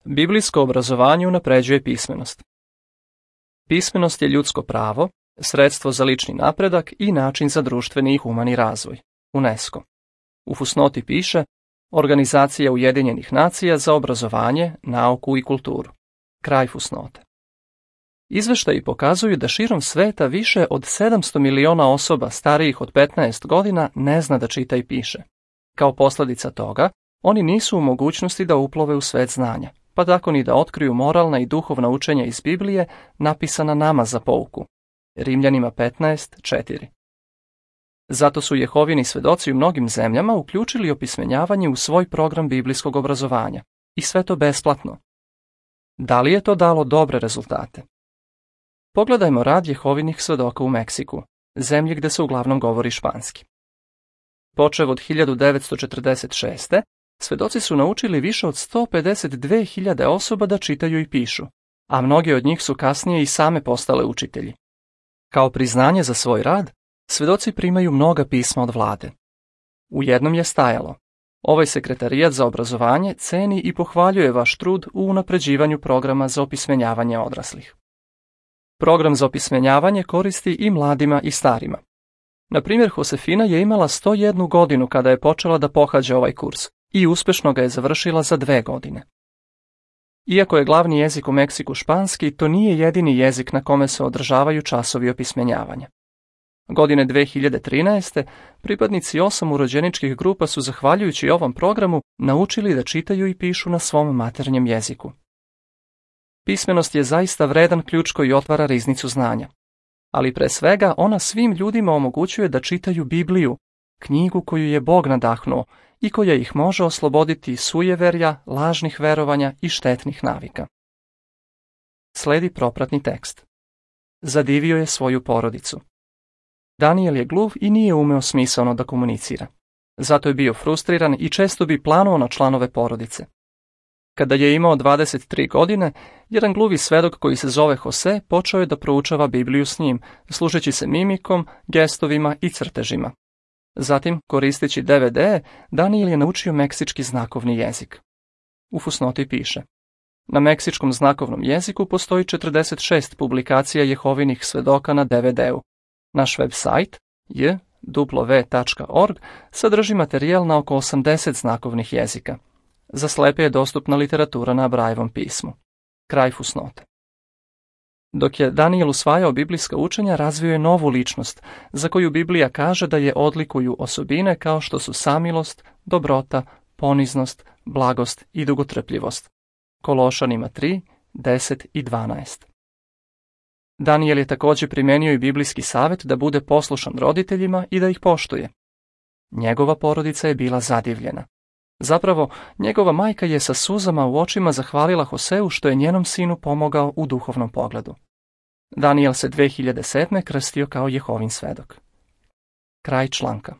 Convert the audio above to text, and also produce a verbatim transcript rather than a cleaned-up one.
Biblijsko obrazovanje unapređuje pismenost. Pismenost je ljudsko pravo, sredstvo za lični napredak i način za društveni i humani razvoj. UNESCO. U fusnoti piše Organizacija Ujedinjenih nacija za obrazovanje, nauku i kulturu. Kraj fusnote. Izveštaji pokazuju da širom sveta više od sedamsto miliona osoba starijih od petnaest godina ne zna da čita i piše. Kao posljedica toga, oni nisu u mogućnosti da uplove u svet znanja, pa tako ni da otkriju moralna i duhovna učenja iz Biblije napisana nama za pouku. Rimljanima petnaest četiri. Zato su Jehovini svedoci u mnogim zemljama uključili opismenjavanje u svoj program biblijskog obrazovanja. I sve to besplatno. Da li je to dalo dobre rezultate? Pogledajmo rad Jehovinih svedoka u Meksiku, zemlji gde se uglavnom govori španski. Počev od hiljadu devetsto četrdeset šeste. svedoci su naučili više od sto pedeset dve hiljade osoba da čitaju i pišu, a mnogi od njih su kasnije i same postale učitelji. Kao priznanje za svoj rad, svedoci primaju mnoga pisma od vlade. U jednom je stajalo: ovaj sekretarijat za obrazovanje ceni i pohvaljuje vaš trud u unapređivanju programa za opismenjavanje odraslih. Program za opismenjavanje koristi i mladima i starima. Na primjer, Josefina je imala sto jednu godinu kada je počela da pohađa ovaj kurs i uspešno ga je završila za dve godine. Iako je glavni jezik u Meksiku španski, to nije jedini jezik na kome se održavaju časovi opismenjavanja. Godine dve hiljade trinaeste. pripadnici osam urođeničkih grupa su, zahvaljujući ovom programu, naučili da čitaju i pišu na svom maternjem jeziku. Pismenost je zaista vredan ključ koji otvara riznicu znanja. Ali pre svega ona svim ljudima omogućuje da čitaju Bibliju, knjigu koju je Bog nadahnuo i koja ih može osloboditi iz sujeverja, lažnih verovanja i štetnih navika. Sledi propratni tekst. Zadivio je svoju porodicu. Danijel je gluv i nije umeo smisaono da komunicira. Zato je bio frustriran i često bi planuo na članove porodice. Kada je imao dvadeset tri godine, jedan gluvi svedok koji se zove Jose počeo je da proučava Bibliju s njim, služeći se mimikom, gestovima i crtežima. Zatim, koristeći D V D, Danijel je naučio meksički znakovni jezik. U fusnoti piše: na meksičkom znakovnom jeziku postoji četrdeset šest publikacija Jehovinih svedoka na D V D-u. Naš web sajt j w tačka org sadrži materijal na oko osamdeset znakovnih jezika. Za slepe je dostupna literatura na Brajevom pismu. Kraj fusnote. Dok je Danijel usvajao biblijska učenja, razvio je novu ličnost, za koju Biblija kaže da je odlikuju osobine kao što su samilost, dobrota, poniznost, blagost i dugotrpljivost. Kološanima tri, deset i dvanaest. Danijel je također primenio i biblijski savjet da bude poslušan roditeljima i da ih poštuje. Njegova porodica je bila zadivljena. Zapravo, njegova majka je sa suzama u očima zahvalila Hoseu što je njenom sinu pomogao u duhovnom pogledu. Danijel se dve hiljade sedme. krstio kao Jehovin svedok. Kraj članka.